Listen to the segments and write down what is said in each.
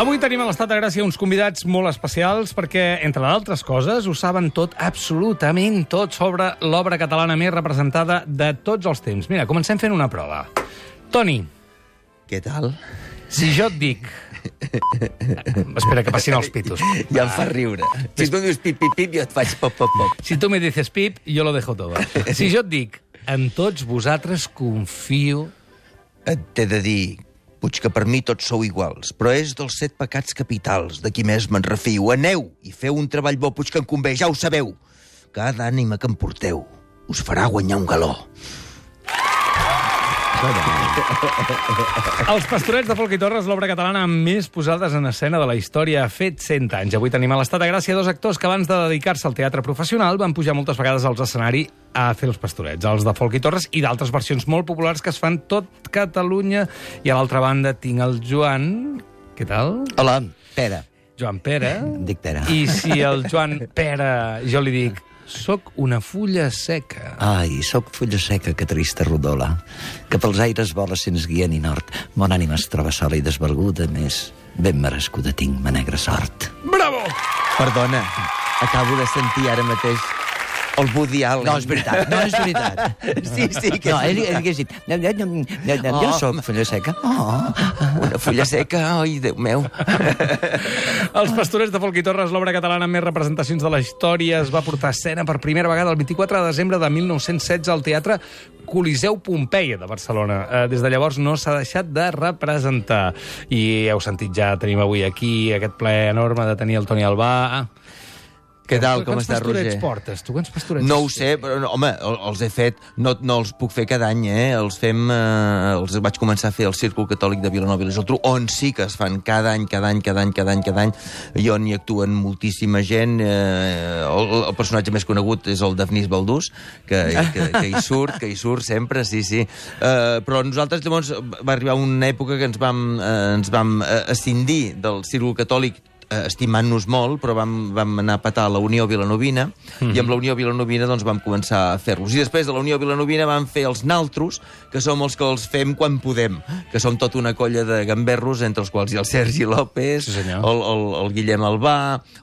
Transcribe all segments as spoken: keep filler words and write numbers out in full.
Avui tenim a l'Estat de Gràcia uns convidats molt especials perquè, entre d'altres coses, ho saben tot, absolutament tot, sobre l'obra catalana més representada de tots els temps. Mira, comencem fent una prova. Toni. Què tal? Si jo et dic... Espera, que passin els pitos. Ja em fa riure. Si tu em dius pip, pip, pip, jo et faig pop, pop, pop. Si tu me dices pip, yo lo dejo todo. Si jo et dic, en tots vosaltres confio... Et t'he de dir... Puig que per mi tots sou iguals, però és dels set pecats capitals, de qui més me'n refio. Aneu i feu un treball bo, Puig que em convé, ja ho sabeu. Cada ànima que em porteu us farà guanyar un galó. Els Pastorets de Folch i Torres, l'obra catalana amb més posades en escena de la història, ha fet cent anys. Avui tenim a l'Estat de Gràcia dos actors que abans de dedicar-se al teatre professional van pujar moltes vegades als escenaris a fer els Pastorets, els de Folch i Torres i d'altres versions molt populars que es fan tot Catalunya. I a l'altra banda tinc el Joan... Què tal? Hola, Pere. Joan Pere. Dic Pere. I si el Joan Pere, jo li dic, soc una fulla seca. Ai, soc fulla seca, que trista rodola, que pels aires vola sense guia ni nord. Mon ànima es troba sola i desvalguda, més ben merescuda tinc ma negra sort. Bravo! Perdona, acabo de sentir ara mateix el Woody Allen. No, és veritat, no és veritat. Sí, sí, que no, és ell, veritat. ell hagués dit, jo, jo, jo, jo, jo Oh. soc fulla seca. Oh. Una fulla seca, oi, Déu meu. Els Pastorets de Folch i Torres, l'obra catalana amb més representacions de la història, es va portar a escena per primera vegada el vint-i-quatre de desembre de mil nou-cents setze al Teatre Coliseu Pompeia de Barcelona. Eh, des de llavors no s'ha deixat de representar. I heu sentit ja, tenim avui aquí aquest plaer enorme de tenir el Toni Albà. Què tal, com estàs, Roger? Quants pastorets portes, tu? Quants pastorets? No ho sé, però, no, home, el- els he fet, no, no els puc fer cada any, eh? Els fem, eh, els vaig començar a fer al Círcul Catòlic de Vilanova i la Geltrú, on sí que es fan cada any, cada any, cada any, cada any, cada any, i on hi actuen moltíssima gent. Eh, el, el personatge més conegut és el Dafnis Baldús, que, que, que hi surt, que hi surt sempre, sí, sí. Eh, però nosaltres, llavors, va arribar una època que ens vam, eh, ens vam eh, escindir del Círcul Catòlic, estimant-nos molt, però vam, vam anar a petar a la Unió Vilanovina, mm-hmm. i amb la Unió Vilanovina doncs, vam començar a fer-los. I després de la Unió Vilanovina vam fer els naltros, que som els que els fem quan podem, que som tota una colla de gamberros, entre els quals hi ha el Sergi López, Sí, senyor. el, el, el Guillem Albà,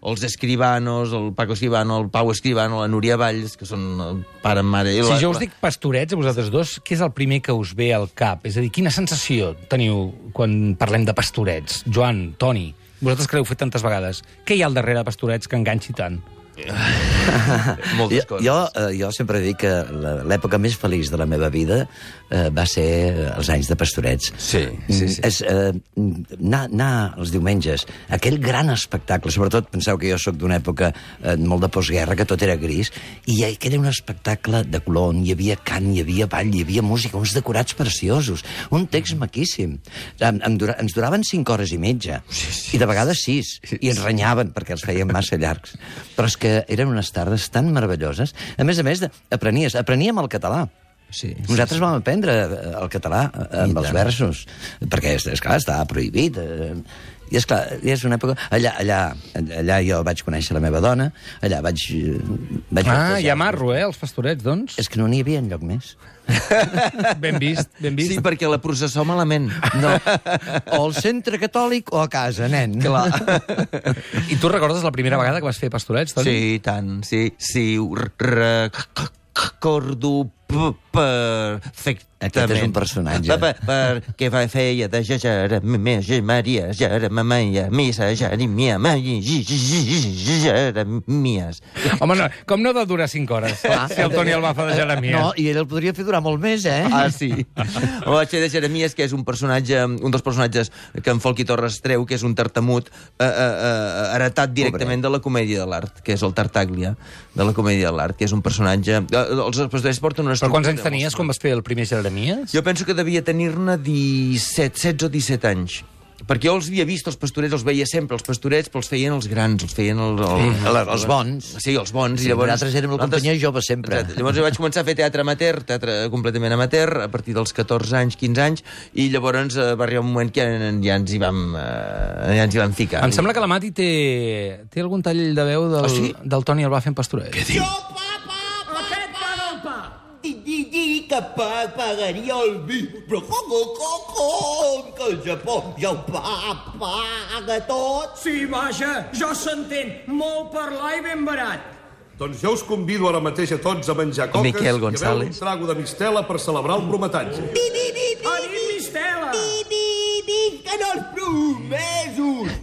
els Escribanos, el Paco Escribano, el Pau Escribano, la Núria Valls, que són el pare, mare... I la, Si jo us dic pastorets, a vosaltres dos, què és el primer que us ve al cap? És a dir, quina sensació teniu quan parlem de pastorets? Joan, Toni, vosaltres que l'heu fet tantes vegades. Què hi ha al darrere de Pastorets que enganxi tant? moltes Jo, coses. jo, eh, jo sempre dic que la- l'època més feliç de la meva vida eh, va ser els anys de Pastorets. Sí, sí, sí. Mm, És eh, anar, anar els diumenges, aquell gran espectacle, sobretot penseu que jo sóc d'una època eh, molt de postguerra, que tot era gris, i aquell era un espectacle de color, on hi havia cant, hi havia ball, hi havia música, uns decorats preciosos, un text maquíssim. Em, em dura, ens duraven cinc hores i mitja, sí, sí, i de vegades sis, i ens renyaven perquè els feien massa llargs. Però és que eren unes tardes tan meravelloses. A més a més, de, aprenies, apreníem el català. Sí, sí, Nosaltres sí. vam aprendre eh, el català eh, amb I els tant. versos, perquè, és, és clar, estava prohibit. Eh, I és clar, i és una època... Allà, allà, allà jo vaig conèixer la meva dona, allà vaig... eh, vaig Ah, bafejar- hi ha marro, eh, els Pastorets, doncs. És que no n'hi havia enlloc més. Ben vist, ben vist. Sí, perquè la processó malament. No, o al centre catòlic o a casa, nen. Clar. I tu recordes la primera vegada que vas fer Pastorets, Toni? Sí, tant, sí. Sí, ho recordo perfectament. Aquest és un personatge. Per, per, perquè va feia de Jeremias, Maria, Jeremias, Missa, Jeremias, Jeremias. Home, no, com no ha de durar cinc hores, si el Toni el va fer de Jeremias? No, i ell el podria fer durar molt més, eh? Ah, sí. O vaig fer de Jeremias, que és un personatge, un dels personatges que en Folch i Torres treu, que és un tartamut eh, eh, eh, heretat directament de la comèdia de l'art, que és el Tartaglia, de la comèdia de l'art, que és un personatge... Eh, els pastorets porten una Però quants anys estructura tenies molt- quan vas fer el primer Jeremias? Jo penso que devia tenir-ne disset, setze o disset anys. perquè jo els havia vist, els pastorets, els veia sempre, els pastorets, però els feien els grans, els feien el, el, Sí, el, els bons. Sí, els bons. Sí, I llavors, nosaltres érem la companyia jove sempre. Exacte. Llavors jo vaig començar a fer teatre amateur, teatre completament amateur, a partir dels catorze anys, quinze anys, i llavors eh, va arribar un moment que ja, ja, ens, hi vam, eh, ja ens hi vam ficar. Em sembla que la Mati té, té algun tall de veu del, Ah, sí? del Toni Albà fent pastoret. Què diu? Aquest paga el pa. Di, di, di, que pa, pagaria el vi, però com, com, com, que el Japó ja ho pa, paga tot. Sí, vaja, jo s'entén. Molt parlar i ben barat. Doncs jo us convido ara mateix a tots a menjar coques Miquel i a beure González. un trago de mistela per celebrar el prometatge. Di, di, di, di, Ha dit Mistela. di, di, di, que no els promesos.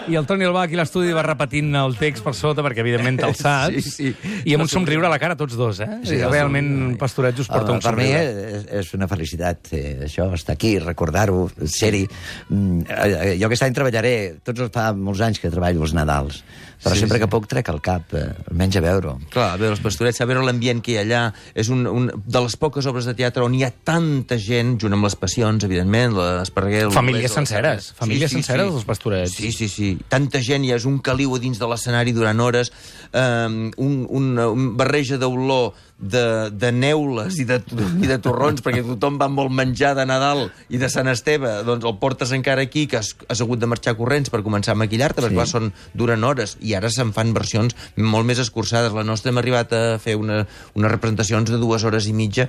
I el Toni Albà aquí a l'estudi va repetint el text per sota, perquè evidentment te'l saps. Sí, sí. I amb un somriure a la cara tots dos, eh? Sí, realment Pastorets us porta Home, un per mi somriure. és, és una felicitat eh, això, estar aquí, recordar-ho, ser-hi. Mm, eh, jo aquest any treballaré, tots els fa molts anys que treballo els Nadals, però Sí, sempre sí. que puc trec el cap, eh, almenys a veure-ho. Clar, a veure els pastorets, a veure l'ambient que hi ha allà. És un, un, de les poques obres de teatre on hi ha tanta gent, junt amb les passions, evidentment, l'Esparreguer... el Famílies Olés, el- senceres, famílies senceres, els Pastorets. Sí, sí, sí. Tanta gent, hi ha un caliu a dins de l'escenari durant hores, um, un, un, un barreja d'olor de, de neules i de, i de torrons, perquè tothom va amb el menjar de Nadal i de Sant Esteve, doncs el portes encara aquí, que has, has hagut de marxar corrents per començar a maquillar-te, perquè Sí. clar, són, duren hores, i ara se'n fan versions molt més escurçades. La nostra hem arribat a fer una, unes representacions de dues hores i mitja,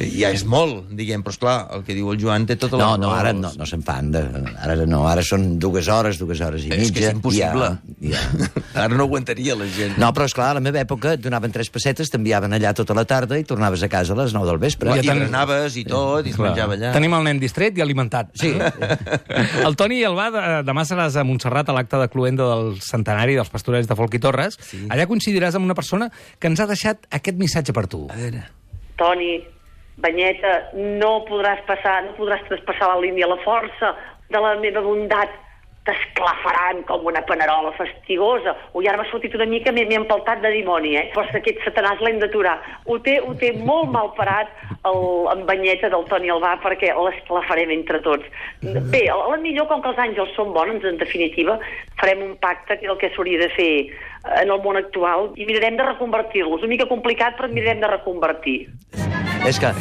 ja és molt, diguem, però esclar, el que diu el Joan té tota la No, no, raó. ara no, no se'n fan. De, ara no, ara són dues hores, dues hores i mitja. És que és impossible. i Ja, ja. Ara no aguantaria la gent. No, però esclar, a la meva època et donaven tres pessetes, t'enviaven allà tota la tarda i tornaves a casa a les nou del vespre. I Ja ten- berenaves i tot, i es Clar. menjava allà. Tenim el nen distret i alimentat. Sí. El Toni Albà, de, demà seràs a Montserrat a l'acte de cluenda del centenari dels Pastorets de Folk i Torres. Sí. Allà coincidiràs amb una persona que ens ha deixat aquest missatge per tu. A veure... Toni, Banyeta, no podràs passar, no podràs traspassar la línia. La força de la meva bondat t'esclafaran com una panerola fastigosa. Ui, ara m'ha sortit una mica, m'he m'he empaltat de dimoni, eh? Però aquest satanàs l'hem d'aturar. Ho té, ho té molt mal parat el, en Banyeta del Toni Albà, perquè l'esclafarem entre tots. Bé, a la millor, com que els àngels són bons, en definitiva, farem un pacte, que és el que s'hauria de fer en el món actual, i mirarem de reconvertir-los. Una mica complicat, però mirarem de reconvertir. És que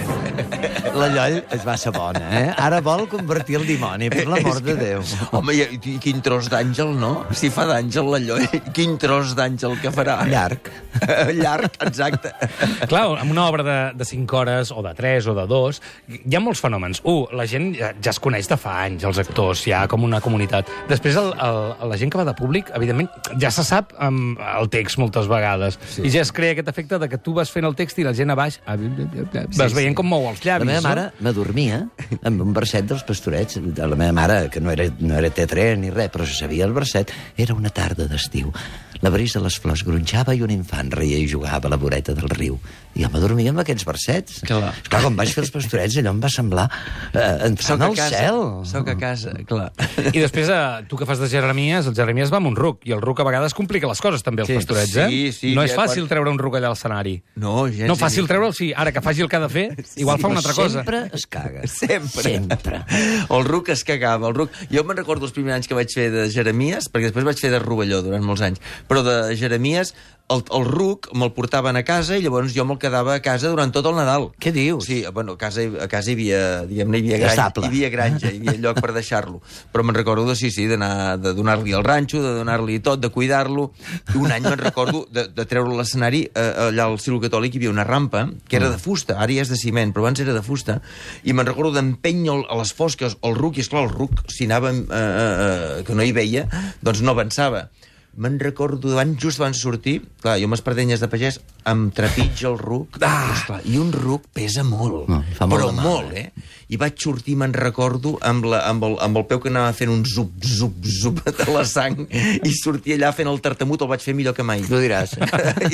la Lloll es va ser bona, eh? Ara vol convertir el dimoni, per l'amor de Déu. Home, i, i quin tros d'àngel, no? Si fa d'àngel la Lloll, quin tros d'àngel que farà? Llarg. Llarg, exacte. Clar, amb una obra de, de cinc hores, o de tres, o de dos, hi ha molts fenòmens. Un, la gent ja, ja es coneix de fa anys, els actors, ja com una comunitat. Després, el, el, la gent que va de públic, evidentment, ja se sap amb el text moltes vegades. Sí. I ja es crea aquest efecte de que tu vas fent el text i la gent a baix vas Sí, veient sí. com mou els llavis. La meva mare no? m'adormia amb un verset dels Pastorets. La meva mare, que no era, no era teatre ni res, però se sabia el verset, era una tarda d'estiu. La brisa de les flors gronxava i un infant reia i jugava a la voreta del riu. I jo m'adormia amb aquests versets. Clar. Esclar, quan vaig fer els Pastorets, allò em va semblar eh, entrar Soc a al casa, cel. soc a casa, clar. I després, eh, tu que fas de Jeremies, el Jeremies va amb un ruc, i el ruc a vegades complica les coses, també, els Sí. Pastorets, eh? Sí, sí, no és ja fàcil quan- treure un ruc allà al escenari. No, gens. No, fàcil treure'l, sí. Ara que faci el que ha de fer, igual fa una altra cosa. Sempre es caga. Sempre. Sempre. El ruc es cagava. El ruc... Jo me'n recordo els primers anys que vaig fer de Jeremies, perquè després vaig fer de Rovelló durant molts anys, però de Jeremies el, el ruc me'l portaven a casa i llavors jo me'l quedava a casa durant tot el Nadal. Què dius? Sí, bueno, a casa, a casa hi havia, diguem-ne, hi havia granja, Estable. hi havia granja, hi havia lloc per deixar-lo. Però me'n recordo de, sí, sí, d'anar, de donar-li el ranxo, de donar-li tot, de cuidar-lo. I un any me'n recordo de, de treure l'escenari, eh, allà al Cílul Catòlic hi havia una rampa, que era de fusta, ara ja és de ciment, però abans era de fusta, i me'n recordo d'empènyer a les fosques el ruc, i esclar, el ruc, si anava, eh, eh, que no hi veia, doncs no avançava. Me'n recordo, abans, just abans de sortir, clar, jo amb espardenyes de pagès, em trepitja el ruc, ah! esclar, i un ruc pesa molt, No, fa molt però de mal, molt, eh? I vaig sortir, me'n recordo, amb, la, amb, el, amb el peu que anava fent un zup, zup, zup de la sang, i sortia allà fent el tartamut, el vaig fer millor que mai. Tu diràs.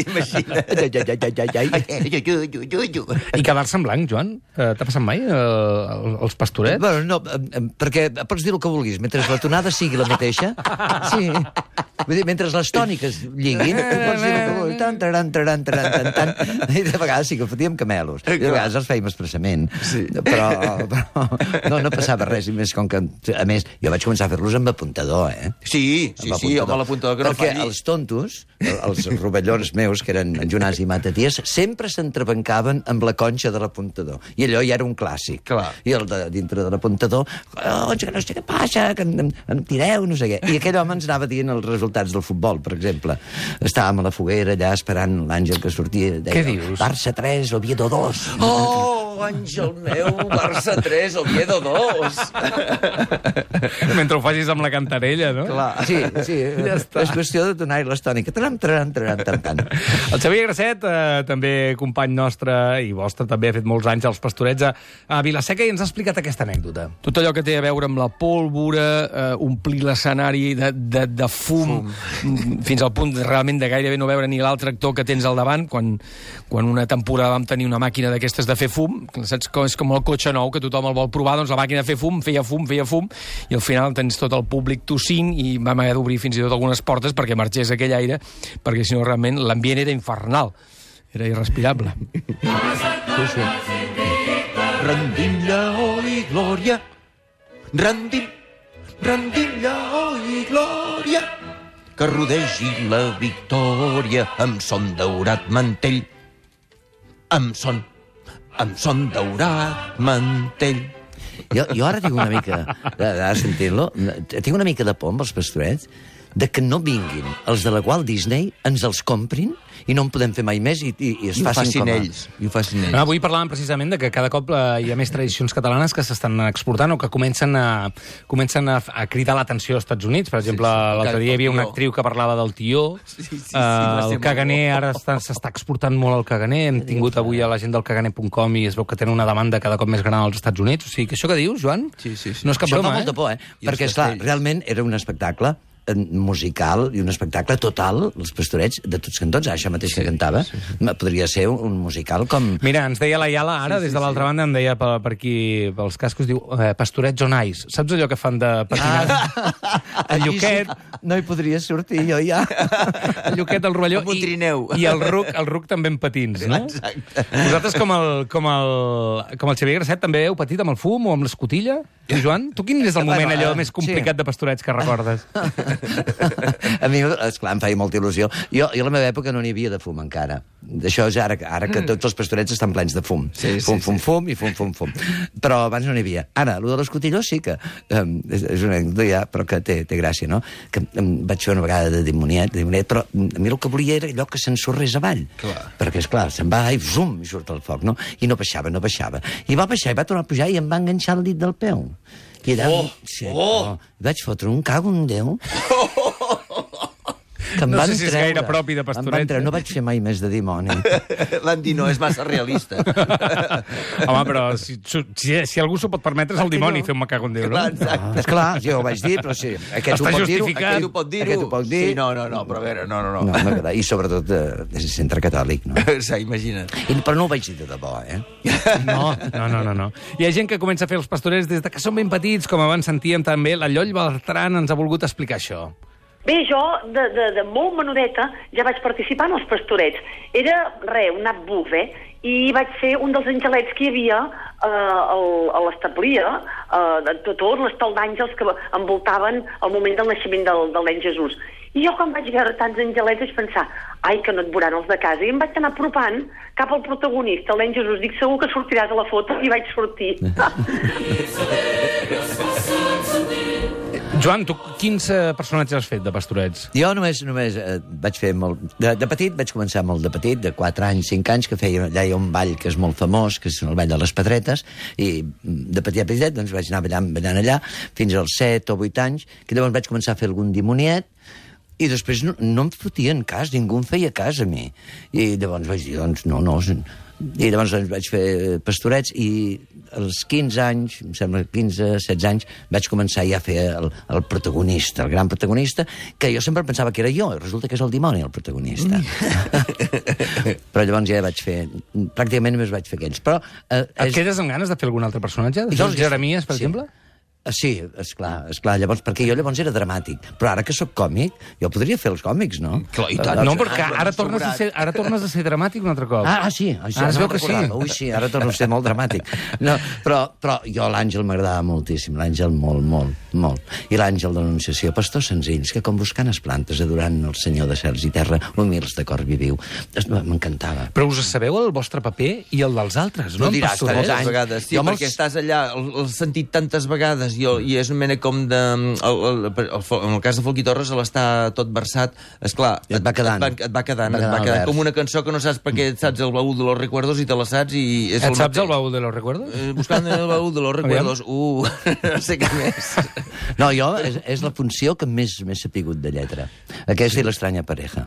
Imagina't. Ai, ai, ai, ai, ai. I quedar-se en blanc, Joan? Eh, T'ha passat mai, eh, els Pastorets? Bueno, no, em- em- perquè pots dir el que vulguis, mentre la tonada sigui la mateixa. Sí. Vull dir, mentre les tòniques lliguin, tu pots dir el que vulguis, tan, taran, taran, taran, tan, tan, i de vegades sí que fotíem camelos, i de vegades els fèiem expressament, sí. però, però no, no passava res, i més com que, a més, jo vaig començar a fer-los amb apuntador, eh? Sí, sí, sí, home, l'apuntador que no perquè falli. els tontos, els rovellons meus, que eren en Jonàs i Mataties, sempre s'entrebancaven amb la conxa de l'apuntador, i allò ja era un clàssic. Clar. I el de dintre de l'apuntador, oh, que no sé què passa, que em, em tireu, no sé què. I aquell home ens anava dient els resultats del futbol, per exemple. Estàvem a la foguera allà esperant l'Àngel que sortia. Deia, Què dius? Barça tres, Oviedo dos. Oh, Àngel meu, Barça tres, Oviedo dos. Mentre ho facis amb la cantarella, no? Clar. Sí, sí. Ja està. És qüestió de donar-hi l'estònica. Tram, tram, tram, tram, tram. El Xavier Grasset, eh, també company nostre i vostre, també ha fet molts anys als Pastorets a, a Vilaseca i ens ha explicat aquesta anècdota. Tot allò que té a veure amb la pólvora, eh, omplir l'escenari de, de, de fum, fum, fins al punt de, realment de gairebé no veure ni l'altre actor que tens al davant, quan, quan una temporada vam tenir una màquina d'aquestes de fer fum, saps com és com el cotxe nou, que tothom el vol provar, doncs la màquina de fer fum, feia fum, feia fum, i al final tens tot el públic tossint i vam haver d'obrir fins i tot algunes portes perquè marxés aquell aire, perquè si no realment l'ambient era infernal, era irrespirable. Sí, sí. Rendim lleó i glòria, rendim, rendim lleó i glòria, que rodegi la victòria amb son daurat mantell, amb son, amb son daurat mantell. Jo, jo ara tinc una mica, ara sentir-lo, tinc una mica de por amb els Pastorets, de que no vinguin els de la Walt Disney, ens els comprin i no en podem fer mai més i, i, i es I ho facin, facin com a... ells. I ho facin ells. No, avui parlàvem precisament de que cada cop eh, hi ha més tradicions catalanes que s'estan exportant o que comencen a, comencen a, a cridar l'atenció als Estats Units. Per exemple, sí, sí. l'altre dia hi havia una actriu que parlava del tió. Sí, sí, sí, uh, el caganer ara s'està exportant molt el caganer. Hem tingut avui a la gent del caganer punt com i es veu que tenen una demanda cada cop més gran als Estats Units. O sigui, que això que dius, Joan, Sí, sí, sí. no és cap Això broma, fa eh? molta por, eh? I Perquè, els esclar, castells. realment era un espectacle eh, musical i un espectacle total, els Pastorets, de tots cantons, això mateix que cantava, podria ser un, un musical com... Mira, ens deia la Iala ara, des de l'altra banda, em deia per, per aquí, pels cascos, diu, eh, Pastorets on ice. Saps allò que fan de patinar? Ah, el Lluquet, no hi podria sortir jo ja. el Lluquet, el Rovelló... Amb un i- trineu. I el ruc, el ruc també en patins, no? Exacte. Vosaltres, com el, com el, com el Xavier Grasset, també heu patit amb el fum o amb l'escotilla? Tu, Joan? Tu quin és el moment Bueno, allò eh, més complicat sí. de Pastorets que recordes? A mi, esclar, em feia molta il·lusió. Jo, jo a la meva època no n'hi havia de fum encara. Això és ara, ara que tots els Pastorets estan plens de fum. Sí, sí, fum, fum, sí. fum i fum, fum, fum. Però abans no n'hi havia. Ara, allò de l'escotilló sí que... Um, és, és una anècdota ja, però que té, té gràcia, no? Que um, vaig fer una vegada de dimoniet, de dimoniet, però um, a mi el que volia era allò que s'ensorrés avall. Clar. Perquè, esclar, se'n va i zum, i surt el foc, no? I no baixava, no baixava. I va baixar, i va tornar a pujar i em va enganxar el dit del peu. I allà, Oh! sí, Oh! vaig fotre un cago en Déu. Que em No van sé si és treure. gaire propi de Em van Pastorets, treure. eh? No vaig fer mai més de dimoni. L'han dit, no, és massa realista. Home, però si, si, si algú s'ho pot permetre és el dimoni fer un macago en Déu, no? Clar, exacte. Ah, esclar, jo ho vaig dir, però sí. Aquest Està ho pot dir-ho. justificat. Aquest ho pot dir-ho. Aquest ho pot dir. Sí, no, no, no, però a veure, no, no, no. No, no, I sobretot eh, és centre catòlic, no? Sí, imagina't. I, però no ho vaig dir de debò, eh? No, no, no, no, no. Hi ha gent que comença a fer els Pastorets des de que són ben petits, com abans sentíem també. La Lloll Bertran ens ha volgut explicar això. Bé, jo, de, de, de molt menudeta, ja vaig participar en els Pastorets. Era, re, un nap buf, eh? I vaig ser un dels angelets que hi havia eh, al, a l'establia, eh, de tot, tot l'estol d'àngels que envoltaven el moment del naixement del, del nen Jesús. I jo, quan vaig veure tants angelets, vaig pensar, ai, que no et veuran els de casa. I em vaig anar apropant cap al protagonista, el nen Jesús. Dic, segur que sortiràs a la foto, i vaig sortir. Joan, tu quins eh, personatges has fet de Pastorets? Jo només, només eh, vaig fer molt... De, de petit, vaig començar molt de petit, de quatre anys, cinc anys, que feia, allà hi ha un ball que és molt famós, que és el ball de les Pedretes, i de petit a petit doncs, vaig anar ballant, ballant allà, fins als set o vuit anys, que llavors vaig començar a fer algun dimoniet, i després no, no em fotien cas, ningú em feia cas a mi. I llavors vaig dir, doncs, no, no... I llavors doncs, vaig fer Pastorets, i als quinze anys, em sembla quinze, setze anys, vaig començar ja a fer el, el protagonista, el gran protagonista, que jo sempre pensava que era jo, i resulta que és el dimoni, el protagonista. Mm. Però llavors ja vaig fer... Pràcticament només vaig fer aquells. Però, eh, Et quedes amb ganes de fer algun altre personatge? De Jo fer els- Jeremies, per sí. exemple? Sí, esclar, esclar. Llavors, perquè jo llavors era dramàtic. Però ara que sóc còmic, jo podria fer els còmics, no? Clar, i tant. No, perquè ara tornes, a ser, ara tornes a ser dramàtic un altre cop. Ah, ah sí. Això Ah, es no veu que sí. recordava. Ui, sí, ara torno a ser molt dramàtic. No, però, però jo l'Àngel m'agradava moltíssim, l'Àngel molt, molt, molt. I l'Àngel de l'Anunciació, pastors senzills, que com buscant les plantes, adorant el Senyor de cels i terra, humils de cor viviu. M'encantava. Però us sabeu el vostre paper i el dels altres, no? No diràs, En Pastorets. tants anys. vegades, sí, Jo perquè me'ls- estàs allà, l'has sentit tantes vegades, i, i és una mena com de... El, el, el, en el cas de Folch i Torres, l'està tot versat, esclar, I et va quedant. Et, et va quedant, Va et va quedant el quedant vers. com una cançó que no saps perquè et saps el baúl de los recuerdos i te la saps i... És Et saps mateix. el baúl de los recuerdos? Eh, buscant el baúl de los recuerdos, uh, no sé què més. No, jo, és, és la funció que més m'he sapigut de lletra. Aquesta i l'estranya pareja.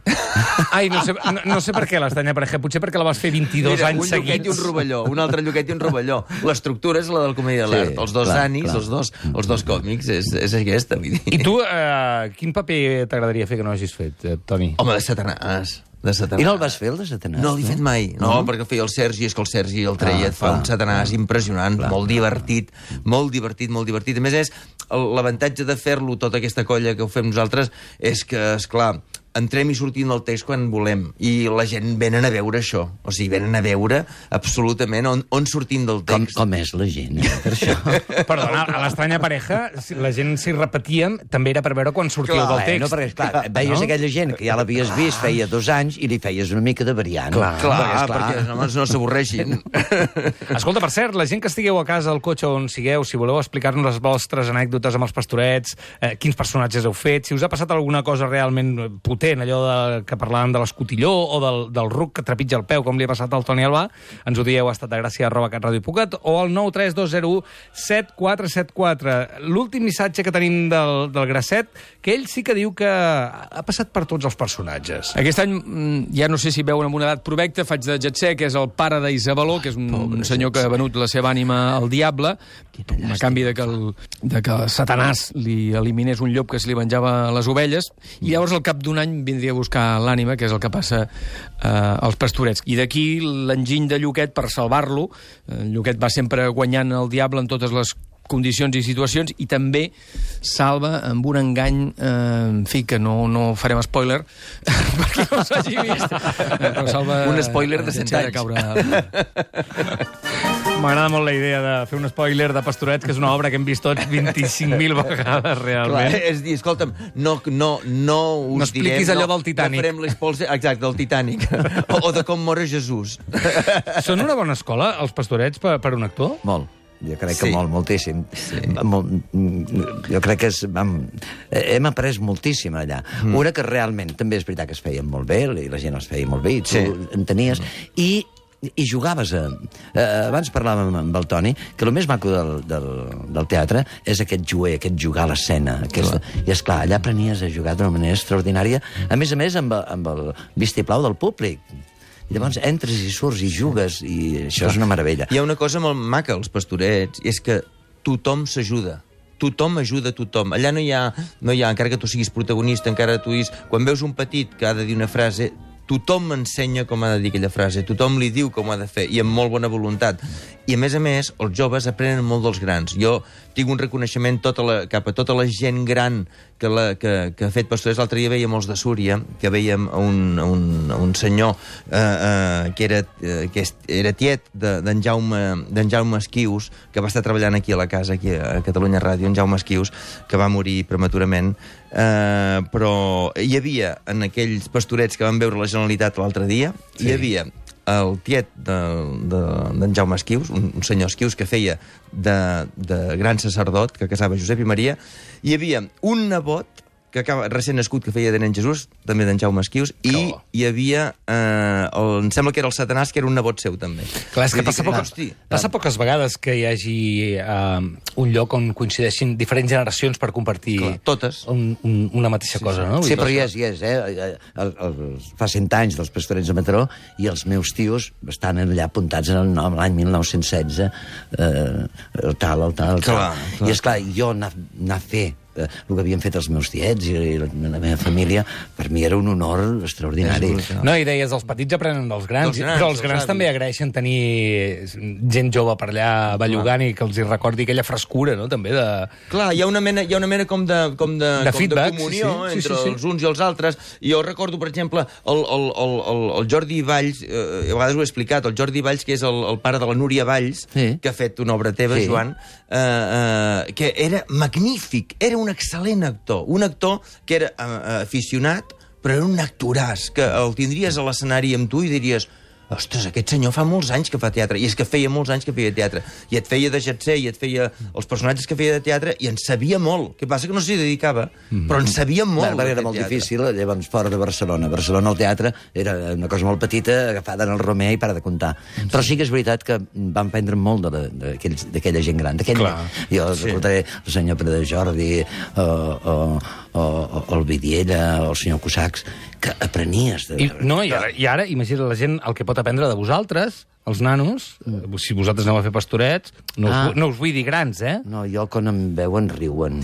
Ai, no sé, no, no sé per què l'estanya pareja, potser perquè la vas fer vint-i-dos Mira, anys un lluquet i un seguits. rovelló, un altre lluquet i un rovelló. L'estructura és la del comèdia de Sí, l'art. Els dos clar, ànims, clar. els dos, els dos còmics, és, és aquesta. Vull dir. I tu, eh, quin paper t'agradaria fer que no hagis fet, eh, Toni? Home, de Satanàs. De Satanàs. I no el vas fer, el de Satanàs? No l'he fet mai, no, no, perquè el feia el Sergi, és que el Sergi el treia, Ah, et fa clar, un Satanàs impressionant, clar, molt divertit, molt divertit, molt divertit. A més, és el- l'avantatge de fer-lo, tota aquesta colla que ho fem nosaltres, és que, esclar, entrem i sortim del text quan volem, i la gent venen a veure això, o sigui, venen a veure absolutament on, on sortim del Com, text. com és la gent, eh, per això? Perdona, a l'estranya pareja, si la gent s'hi repetíem, també era per veure quan sortíeu Clar, del text. No, perquè, esclar, veies No? aquella gent que ja l'havies vist feia dos anys i li feies una mica de variant. Clar, clar, perquè, esclar, perquè els homes no s'avorreixin. Escolta, per cert, la gent que estigueu a casa, al cotxe on sigueu, si voleu explicar-nos les vostres anècdotes amb els pastorets, eh, quins personatges heu fet, si us ha passat alguna cosa realment potent, allò de, que parlàvem de l'escotilló o del, del ruc que trepitja el peu, com li ha passat al Toni Albà, ens ho dieu a estat de gràcia arroba catradio.cat o al nou tres dos zero u set quatre set quatre. L'últim missatge que tenim del, del Grasset, que ell sí que diu que ha passat per tots els personatges. Aquest any, mm, ja no sé si veuen amb una edat provecta, faig de Jetser, que és el pare d'Isabeló, que és un, un senyor que ha venut la seva ànima al diable, a canvi de que, el, de que Satanàs li eliminés un llop que se li venjava les ovelles, i llavors al cap d'un any vindria a buscar l'ànima, que és el que passa eh, als pastorets. I d'aquí l'enginy de Lluquet per salvar-lo. Eh, Lluquet va sempre guanyant el diable en totes les condicions i situacions, i també salva amb un engany, eh, en fi, que no, no farem spoiler, perquè no s'hagi vist. Eh, però salva... Un spoiler de cent Jetser anys. caure... M'agrada molt la idea de fer un spoiler de Pastorets, que és una obra que hem vist tots vint-i-cinc mil vegades, Clar, realment. és dir, escolta'm, no, no, no us No expliquis direm... allò del Titanic. No farem l'espols... Exacte, del Titanic. o, o de com mor Jesús. Són una bona escola, els Pastorets, per, per un actor? Molt. Jo crec que Sí. molt, moltíssim. Sí. Molt, jo crec que és, vam, hem après moltíssim allà. Mm. Una que realment també és veritat que es feien molt bé, i la gent els feia molt bé, i tu Sí. entenies, i i jugaves a... Eh, abans parlàvem amb el Toni que el més maco del, del, del teatre és aquest juer, aquest jugar a l'escena. Aquesta... I, esclar, allà aprenies a jugar d'una manera extraordinària, a més a més amb, amb el vistiplau del públic. I llavors entres i surts i jugues, i això és una meravella. Hi ha una cosa molt maca als Pastorets, i és que tothom s'ajuda. Tothom ajuda a tothom. Allà no hi ha, no hi ha, encara que tu siguis protagonista, encara tu siguis... Quan veus un petit que ha de dir una frase, tothom ensenya com ha de dir aquella frase, tothom li diu com ho ha de fer, i amb molt bona voluntat. I, a més a més, els joves aprenen molt dels grans. Jo tinc un reconeixement tota la, cap a tota la gent gran que, la, que, que ha fet Pastorets. L'altre dia veiem els de Súria, que veiem un, un, un senyor eh, eh, que, era, eh, que era tiet d'en de, Jaume, d'en Jaume Esquius, que va estar treballant aquí a la casa, aquí a Catalunya Ràdio, en Jaume Esquius, que va morir prematurament. Eh, però hi havia, en aquells Pastorets que van veure la Generalitat l'altre dia, sí. Hi havia el tiet d'en de, de, Jaume Esquius, un, un senyor Esquius que feia de, de gran sacerdot, que casava Josep i Maria. Hi havia un nebot que acaba, recent nascut, que feia de nen Jesús, també d'en Jaume Esquius, i oh. hi havia, eh, el, em sembla que era el Satanàs, que era un nebot seu, també. Clar, és que Vull passa, dir poca, hosti, passa poques vegades que hi hagi uh, un lloc on coincideixin diferents generacions per compartir Clar, totes. un, un, una mateixa sí, cosa, no? Sí, Vull però dir, hi és, hi és, eh? El, el, fa cent anys dels Pastorets de Mataró i els meus tios estan allà apuntats en l'any mil nou-cents setze, eh, el tal, el tal, el tal. Clar, clar. I, esclar, jo anar, anar a fer el que havien fet els meus tiets i la, la meva família, per mi era un honor extraordinari. No, i deies, els petits aprenen dels grans, Dels grans, però els dels grans avis. també agraeixen tenir gent jove per allà bellugant i que els hi recordi aquella frescura, no?, també de... Clar, hi ha una mena, hi ha una mena com de, com de, De com feedback, de comunió sí, sí, entre sí, sí. els uns i els altres. I jo recordo, per exemple, el, el, el, el, el Jordi Valls, eh, a vegades ho he explicat, el Jordi Valls, que és el, el pare de la Núria Valls, Sí. que ha fet una obra teva, Sí. Joan, eh, eh, que era magnífic, era un excel·lent actor, un actor que era eh, aficionat, però era un actoràs, que el tindries a l'escenari amb tu i diries... Ostres, aquest senyor fa molts anys que fa teatre, i és que feia molts anys que feia teatre, i et feia de Jetser, i et feia els personatges que feia de teatre, i en sabia molt. Què passa? Que no s'hi dedicava, mm. però en sabia molt. Bé, perquè era molt teatre. difícil, llavors, fora de Barcelona. A Barcelona el teatre era una cosa molt petita, agafada en el Romer i para de comptar. Sí. Però sí que és veritat que van prendre molt de la- d'aquells- d'aquella gent gran. D'aquella, jo sí. recordaré el senyor Pere de Jordi, o, o, o, o el Vidiella, o el senyor Cusacs, que aprenies. De... I, no, i ara, i ara, imagina la gent el que pot aprendre de vosaltres, els nanos, mm. si vosaltres aneu a fer pastorets, no, ah. us, vu- no us vull dir grans, eh? No, jo quan em veuen riuen.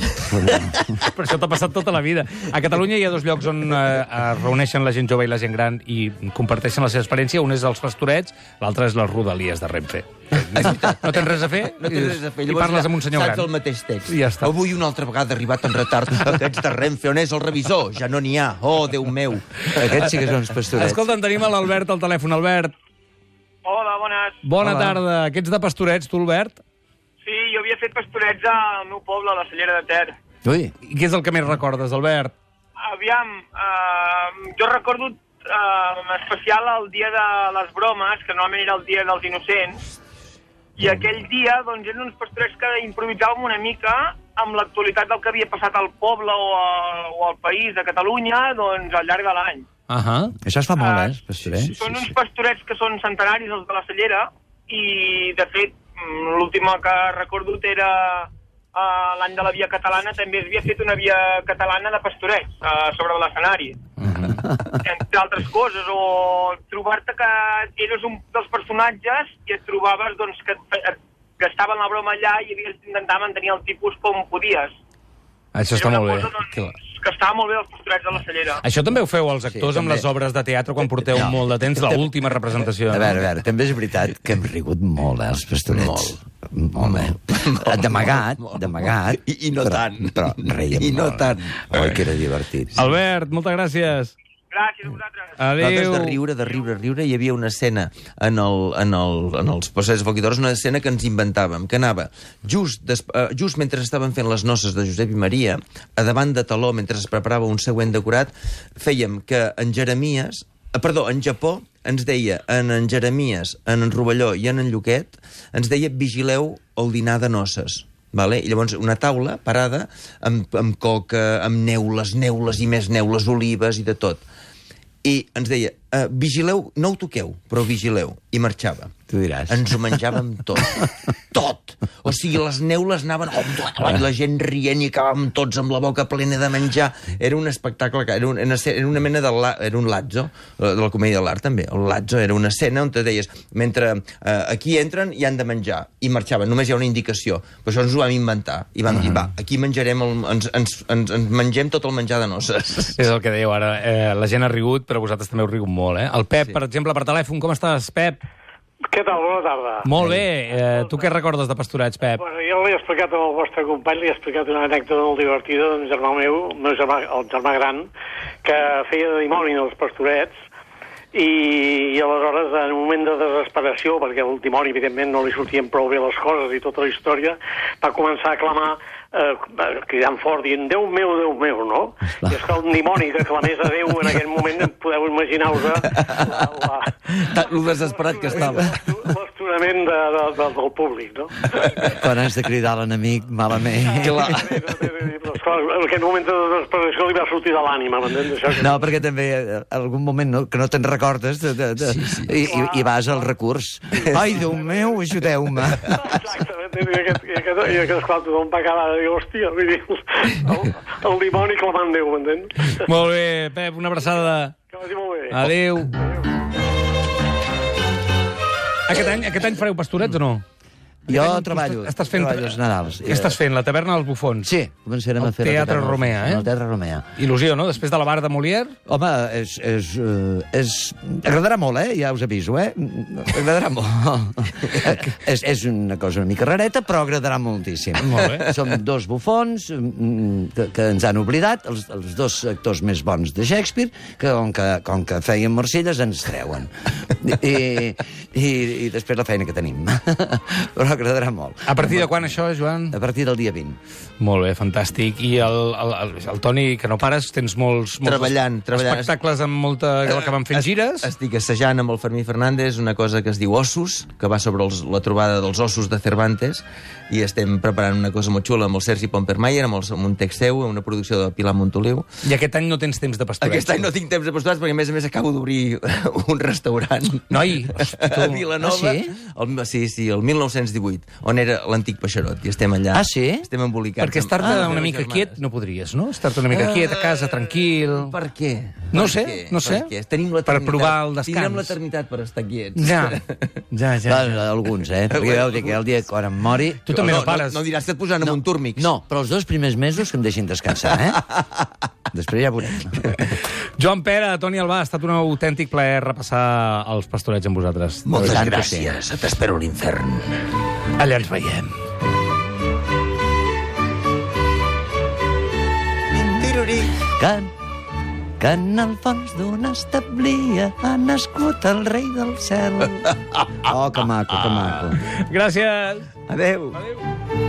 Però això t'ha passat tota la vida. A Catalunya hi ha dos llocs on eh, es reuneixen la gent jove i la gent gran i comparteixen la seva experiència. Un és els pastorets, l'altre és les rodalies de Renfe. No tens res a fer, No tens res a fer. i parles amb un senyor saps gran. el mateix text. I ja està. Avui una altra vegada ha arribat en retard. Aquests de Renfe, on és el revisor? Ja no n'hi ha. Oh, Déu meu. Aquests sí que són els pastorets. Escolta, tenim a l'Albert al telèfon. Albert, Hola, bones. bona Hola. tarda. Aquests de pastorets, tu, Albert? Sí, jo havia fet pastorets al meu poble, a la Cellera de Ter. Ui, I què és el que més recordes, Albert? Aviam, eh, jo recordo eh, en especial el dia de les bromes, que normalment era el dia dels innocents, i aquell dia doncs, eren uns pastorets que improvisàvem una mica amb l'actualitat del que havia passat al poble o, a, o al país de Catalunya doncs, al llarg de l'any. Uh -huh. això es fa molt, Ah, eh, els pastorets? Són uns pastorets que són centenaris, els de la Cellera, i, de fet, mm, l'última que recordo era uh, l'any de la Via Catalana, també es havia fet una Via Catalana de pastorets uh, sobre l'escenari. Entre altres coses, o trobar-te que eres un dels personatges i et trobaves doncs, que et, et gastaven la broma allà i havies d'intentar mantenir el tipus com podies. Això està Era molt una bé. cosa, doncs, que estava molt bé els pastorets de la Cellera. Això també ho feu els actors Sí, amb també. les obres de teatre quan porteu No. molt de temps, l'última representació. A veure, a veure, també és veritat que hem rigut molt, eh, els pastorets. Molt. Molt, eh? D'amagat, d'amagat. I- i no però, tant. Però reiem I no molt. tant. Oi, que era divertit. Sí. Albert, moltes gràcies. Gràcies a vosaltres. Nosaltres Adéu. de riure, de riure, riure, hi havia una escena en, el, en, el, en els passeig de Folquitores, una escena que ens inventàvem, que anava just, des, uh, just mentre estaven fent les noces de Josep i Maria, a davant de taló, mentre es preparava un següent decorat, fèiem que en Jeremies, uh, perdó, en Japó, ens deia, en en Jeremies, en en Rovelló i en en Lluquet, ens deia, vigileu el dinar de noces. Vale? I llavors una taula parada amb, amb coca, amb neules, neules i més neules, olives i de tot. I ens deia, uh, vigileu, no ho toqueu, però vigileu. I marxava. Tu diràs. Ens ho menjàvem tot. Tot! O sigui, les neules anaven... Oh, la gent rient i acabàvem tots amb la boca plena de menjar. Era un espectacle, que era, un, era una mena de... La, era un lazzo, de la comèdia de l'art també. El lazzo era una escena on te deies, mentre uh, aquí entren i han de menjar. I marxaven, només hi ha una indicació. Però això ens ho vam inventar. I vam uh -huh. dir, va, aquí menjarem, el, ens, ens, ens, ens mengem tot el menjar de noces. És el que dèieu ara. Eh, la gent ha rigut, però vosaltres també heu rigut molt, eh? El Pep, sí. per exemple, per telèfon. Com estàs, Pep? Què tal? Bona tarda. Molt bé. Eh, tu què recordes de pastorets, Pep? Bueno, jo l'he explicat al vostre company, li he explicat una anècdota molt divertida d'un germà meu, el meu germà, el germà gran, que feia de dimoni en els pastorets, i, i aleshores, en un moment de desesperació, perquè el dimoni, evidentment, no li sortien prou bé les coses i tota la història, va començar a clamar, eh, cridant fort, dient, Déu meu, Déu meu, no? I és que un dimoni que clamés a Déu en aquell moment, podeu imaginar-vos la... la Lo desesperat que estava. L'astorament de, de, de, del públic, no? Quan has de cridar l'enemic, malament. Clar. Esclar, en aquest moment de desesperació li va sortir de l'ànima, m'entens? Això que... No, perquè també eh, algun moment no, que no te'n recordes de, de, de, sí, sí. I, i vas al recurs. Ai, Déu meu, ajudeu-me. Exactament, i aquest, i aquest, i aquest esclar, tothom va acabar de dir, hòstia, vull dir, el, el dimoni clamant Déu, m'entens? Molt bé, Pep, una abraçada. Que vagi molt bé. Adéu. Aquest any, aquest any fareu pastorets o no? Jo Aquest any treballo, tu estàs fent... treballo els Nadals. Què estàs fent? La taverna dels bufons? Sí, començarem El a fer... la Teatre taverna- Romea, eh? El Teatre Romea. Il·lusió, no? Després de la bar de Molière? Home, és, és, eh, és... agradarà molt, eh? Ja us aviso, eh? Agradarà molt. és, és una cosa una mica rareta, però agradarà moltíssim. Molt bé. Som dos bufons mm, que, que ens han oblidat, els, els dos actors més bons de Shakespeare, que com que, com que feien Marselles ens treuen. I, i, i després la feina que tenim. Però agradarà molt. A partir de quan això, Joan? A partir del dia vint. Molt bé, fantàstic. I el, el, el, el Toni, que no pares, tens molts, molts Treballant, treballant. espectacles amb molta... que van fent gires. Estic assajant amb el Fermí Fernández una cosa que es diu Ossos, que va sobre els, la trobada dels ossos de Cervantes, i estem preparant una cosa molt xula amb el Sergi Pompermayer, amb, el, amb un text seu, una producció de Pilar Montoliu. I aquest any no tens temps de pastorets. Aquest any no tinc temps de pastorats, perquè a més a més acabo d'obrir un restaurant. Noi, hosti, tu. A Vilanova. Ah, sí? El, sí, sí, el mil nou-cents divuit, on era l'antic Peixarot, i estem allà. Ah, sí? Estem embolicats. Perquè estar-te amb- una amb mica les quiet germanes. no podries, no? Estar-te una mica quiet a casa, tranquil... Per què? No Per sé, què? no sé. Per què? Tenim Per l'eternitat. provar el descans. Tindrem l'eternitat per estar quiets. Ja, ja, ja. Va, alguns, eh? Perquè veu dir que el dia que quan em mori... Tu també no, no, pares. No, no diràs que et posaran amb un túrmix. No, però els dos primers mesos que em deixin descansar, eh? Després ja veurem. Joan Pere, Toni Albà, ha estat un autèntic plaer repassar els pastorets amb vosaltres. Moltes De veritat que gràcies. T'espero a l'infern. sí. Allà ens veiem. Que, que en el fons d'una establia ha nascut el rei del cel. Oh, que maco, que maco. Gràcies. Adéu. Adéu.